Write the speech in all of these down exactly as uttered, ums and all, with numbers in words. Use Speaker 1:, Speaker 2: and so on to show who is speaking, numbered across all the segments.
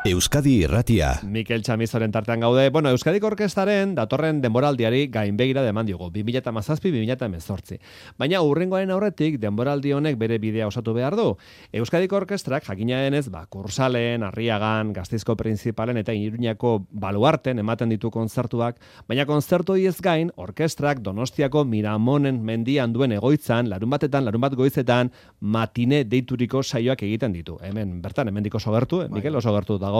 Speaker 1: Euskadi Irratia.
Speaker 2: Mikel Chamizoren tartean gaude. Bueno, Euskadiko Orkestraren datorren denboraldiari gainbegira deman diogu, bi mila hamazazpi bi mila hemezortzi. Baina hurrengoaren aurretik denboraldi honek bere bidea osatu behar du. Euskadiko Orkestrak jakina denez, ba, Kursalen, Arriagan, Gasteizko Printzipalen eta Iruñako Baluarten ematen ditu kontzertuak, baina kontzertu ez gain, orkestrak Donostiako Miramonen mendian duen egoitzan, larun batetan, larun bat goizetan, matine deituriko saioak egiten ditu. Hemen, bertan, hemendiko oso gertu, eh? Mikel, oso gertu dago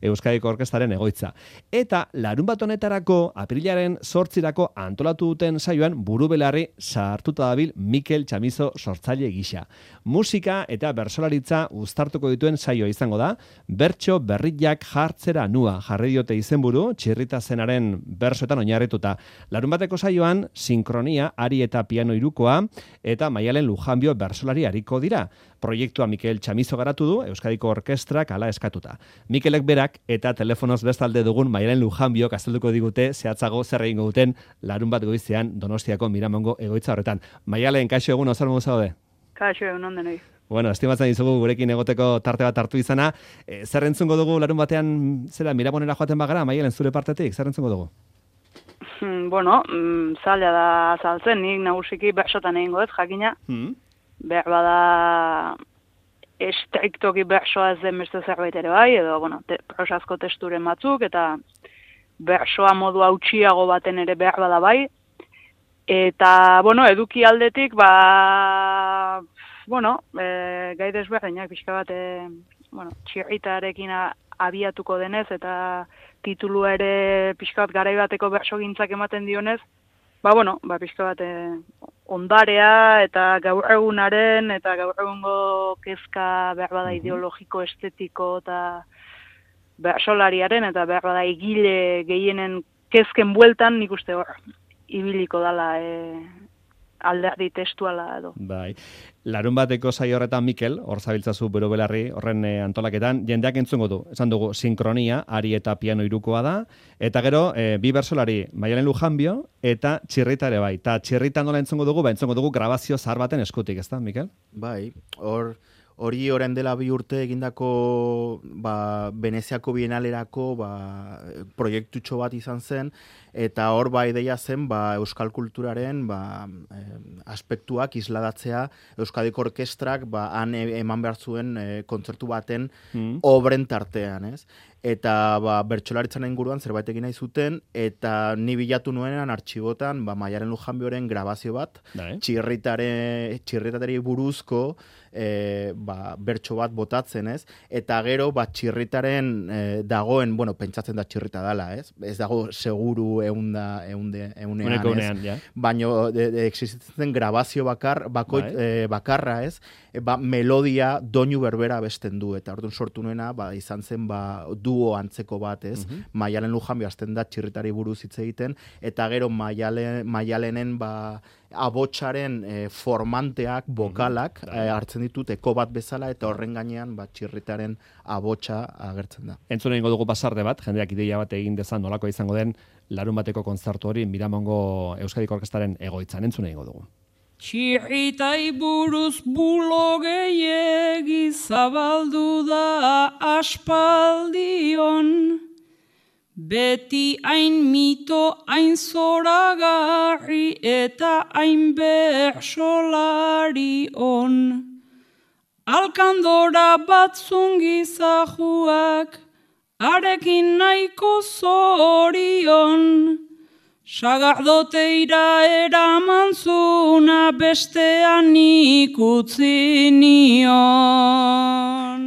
Speaker 2: Euskadiko Orkestraren egoitza. Eta larun bat honetarako, aprilaren zortzirako antolatu duten saioan burubelarri sartuta dabil Mikel Chamizo sortzaile gisa. Musika eta bersolaritza uztartuko dituen saioa izango da, bertso berriak jartzera nua jarri diote izenburu, txirrita zenaren bersoetan oinarrituta. Larun bateko saioan, sinkronia, ari eta piano irukoa, eta Maialen Lujanbio bersolari hariko dira. Proiektua Mikel Chamizo garatu du, Euskadiko Orkestrak hala eskatuta. Mikelek berak eta telefonoz bestalde dugun Maialen Lujanbio azalduko digute zehatzago zer egingo duten larun bat goizean Donostiako Miramongo egoitza horretan. Maialen, kaixo egun, ozer modu zaude?
Speaker 3: Kaixo egun, onden hori.
Speaker 2: Bueno, estimatzen dizugu gurekin egoteko tarte bat hartu izana. E, zer entzungo dugu larun batean, zera, Miramonera joaten bagara, Maialen, zure partetik, zer entzungo dugu?
Speaker 3: Hmm, bueno, mm, zaila da azaltzen, nik nagusiki bersotan egingo ez, jakina. Hmm. Behar bada estriktoki bersoa ez den beste zerbait ere bai, edo, bueno, te, prosazko testuren batzuk, eta bersoa modu hautsiago baten ere behar bada bai. Eta, bueno, eduki aldetik, ba, bueno, e, gai desberdinak pixka bat, e, bueno, txirritarekin abiatuko denez, eta titulua ere pixka bat garai bateko bersogintzak ematen dionez, ba, bueno, ba, pixka bat e, ondarea eta gaur egunaren eta gaur egungo kezka behar bada ideologiko, estetiko eta bersolariaren eta behar bada egile gehienen kezken bueltan nik uste hor ibiliko dala e, alderdi testuala edo.
Speaker 2: Bai. Larun bateko saio horretan Mikel, hor zabiltzazu bero belarri, horren e, antolaketan, jendeak entzungo du. Esan dugu, sinkronia, ari eta piano irukoa da, eta gero, e, bi bersolari, Maialen Lujanbio, eta txirrita ere bai. Ta txirrita nola entzungo dugu, ba entzungo dugu grabazio zahar baten eskutik, ezta, Mikel?
Speaker 4: Bai, hor... Hori orain dela bi urte egindako ba, Veneziako Bienalerako ba, proiektutxo bat izan zen, eta hor ba ideia zen ba, euskal kulturaren ba, eh, aspektuak isladatzea Euskadiko Orkestrak ba, han eman behar zuen eh, kontzertu baten mm. obren tartean, ez? Eta ba, bertsolaritzan inguruan zerbait egin nahi zuten, eta ni bilatu nuenean artxibotan ba, Maialen Lujanbioren grabazio bat, txirritare, txirritateri buruzko e, ba, bertso bat botatzen, ez? Eta gero ba, txirritaren e, dagoen, bueno, pentsatzen da txirrita dala, ez? Ez dago seguru eunda, eunde, eunean,
Speaker 2: unean, ja.
Speaker 4: Baina existitzen grabazio bakar, bakoit, e, bakarra, ez? E, ba, melodia doinu berbera besten du, eta orduan sortu nuena ba, izan zen ba, duo antzeko bat, ez? Uh-huh. Maialen Lujanbio azten da txirritari buruz hitz egiten, eta gero Maialen, Maialenen ba, abotsaren e, formanteak, bokalak, uh-huh. e, hartzen ditut eko bat bezala, eta horren gainean ba, txirritaren abotsa agertzen da.
Speaker 2: Entzun egingo dugu pasarde bat, jendeak ideia bat egin dezan nolako izango den larun bateko kontzertu hori Miramongo Euskadiko Orkestraren egoitzan. Entzun egingo dugu.
Speaker 5: Txirritai buruz bulo gehiegi zabaldu da aspaldion, beti hain mito, hain zoragarri eta hain bersolari on. Alkandora batzun gizajuak, arekin nahiko zorion, sagardoteira eraman zuna bestean ikutzi nion.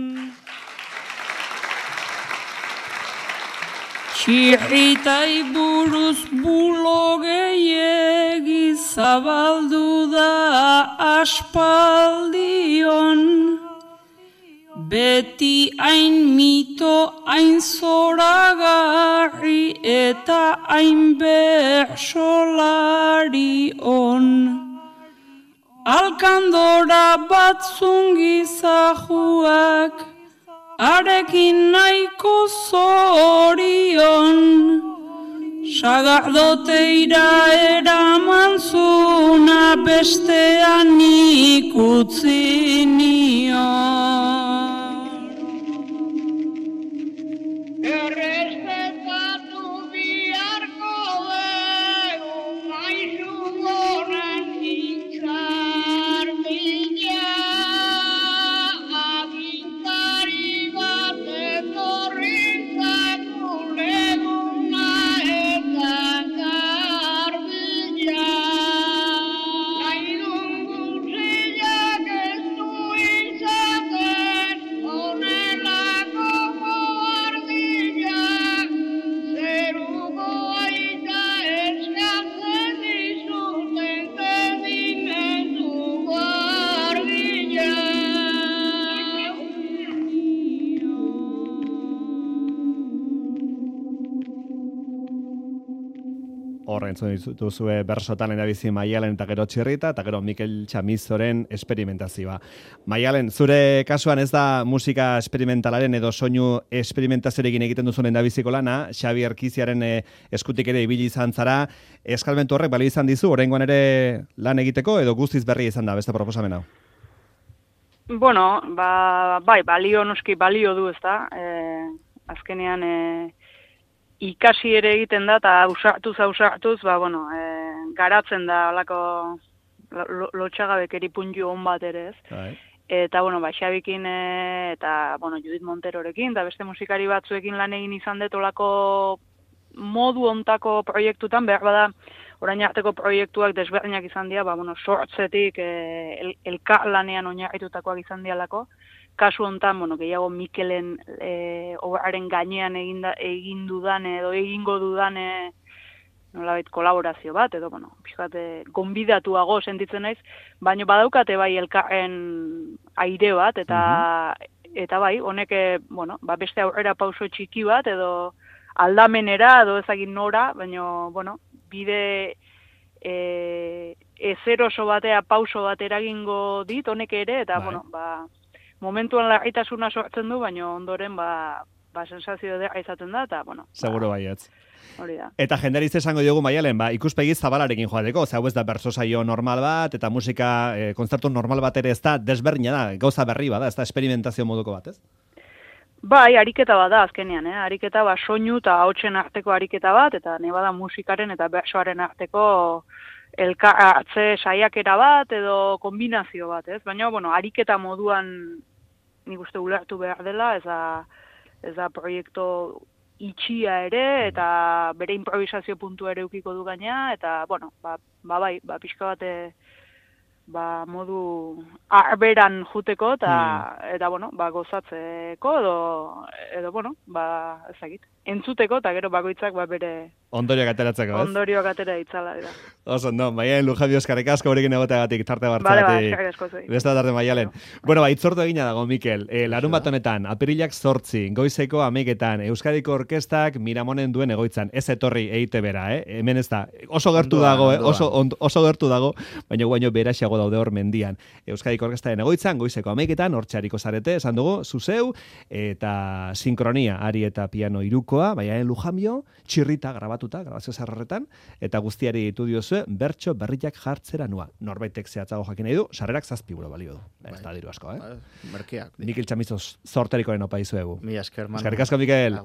Speaker 5: Txirritai buruz bulo gehiegi zabaldu da aspaldion, beti hain mito, hain zoragarri eta hain bersolari on. Alkandora batzun gizajuak, arekin nahiko zorion, sagardoteira eraman zuna bestean ikutzi nion.
Speaker 2: Horren duzue bersotan lehendabizi Maialen eta gero Txirrita, eta gero Mikel Txamizoren esperimentazioa. Maialen, zure kasuan ez da musika esperimentalaren edo soinu esperimentazioarekin egiten duzuen lehendabiziko lana, Xabi Erkiziaren eh, eskutik ere ibili izan zara, eskalmentu horrek balio izan dizu, oraingoan ere lan egiteko edo guztiz berri izan da, beste proposamen hau?
Speaker 3: Bueno, ba, bai, balio noski balio du, ezta? Eh, azkenean e, ikasi ere egiten da, eta ausartuz, ausartuz, ba, bueno, e, garatzen da alako lotxagabekeri puntu hon bat ere, ez?
Speaker 2: Bai.
Speaker 3: Eta, bueno, ba, Xabikin e, eta, bueno, Judith Monterorekin, eta beste musikari batzuekin lan egin izan dut olako modu ontako proiektutan, behar bada, orain arteko proiektuak desberdinak izan dira, ba, bueno, sortzetik e, el, elkarlanean oinarritutakoak izan dialako. Kasu hontan, bueno, gehiago Mikelen e, obraren gainean eginda, egin dudan edo egingo dudan e, nolabait kolaborazio bat, edo, bueno, pixkate, gonbidatuago sentitzen naiz, baina badaukate bai elkarren aire bat, eta, mm-hmm. eta bai, honek, bueno, ba beste aurrera pauso txiki bat, edo aldamenera, edo ezagin nora, baina, bueno, bide e, ezer oso batea pauso bat eragingo dit, honek ere, eta, bai. bueno, ba, momentuan larritasuna sortzen du, baina ondoren, ba, ba sensazio dira izaten da, eta, bueno.
Speaker 2: Seguro
Speaker 3: ba,
Speaker 2: baietz.
Speaker 3: Hori da.
Speaker 2: Eta jenderiz esango diogu Maialen, ba, ikuspegi zabalarekin joateko, ze hau ez da berso saio normal bat, eta musika, e, kontzertu normal bat ere ez da, desberdina da, gauza berri bada, ez da experimentazio moduko bat, ez?
Speaker 3: Bai, ariketa bat da azkenean, eh? Ariketa bat soinu eta hautsen arteko ariketa bat, eta ne bada musikaren eta bersoaren arteko elkartze saiakera bat edo kombinazio bat, ez? Baina, bueno, ariketa moduan nik uste ulertu behar dela, ez da, ez da proiektu itxia ere, eta bere improvisazio puntu ere ukiko du gaina, eta, bueno, ba, ba bai, ba, pixka bate, ba, modu arberan juteko, eta, hmm. eta bueno, ba, gozatzeko, edo, edo, bueno, ba, ezagit, entzuteko, eta gero bakoitzak, ba, bere...
Speaker 2: Ondorioak ateratzeko, ez?
Speaker 3: Ondorioak atera itzala, da.
Speaker 2: Oso, no, Maialen Lujabio eskarrik asko horrekin egoteagatik, tarte
Speaker 3: bartzagatik.
Speaker 2: Vale,
Speaker 3: ba, eskarrik asko zoi.
Speaker 2: Beste tarte Maialen. No. Bueno, ba, itzortu egina dago, Mikel. E, larun bat honetan, apirilak zortzi, goizeko ameiketan, Euskadiko Orkestak Miramonen duen egoitzan. Ez etorri eite bera, eh? Hemen ez da. Oso gertu dago, eh? Oso, on, oso gertu dago, baina guaino beraxago daude hor mendian. Euskadiko Orkestaren egoitzan, goizeko ameiketan, hortxariko zarete, esan dugu, zuzeu, eta sinkronia, ari eta piano irukoa, Maialen Lujambio, Txirrita grabatuta, grabazio zarretan, eta guztiari ditu diozue, bertso berriak jartzera nua. Norbaitek zehatzago jakin nahi du, sarrerak zazpi euro balio du. Ez da diru asko, eh?
Speaker 4: Merkeak.
Speaker 2: Mikel Txamizo zorterikoren opa izuegu.
Speaker 4: Mi esker, Manu.
Speaker 2: Eskerrik asko, Mikel.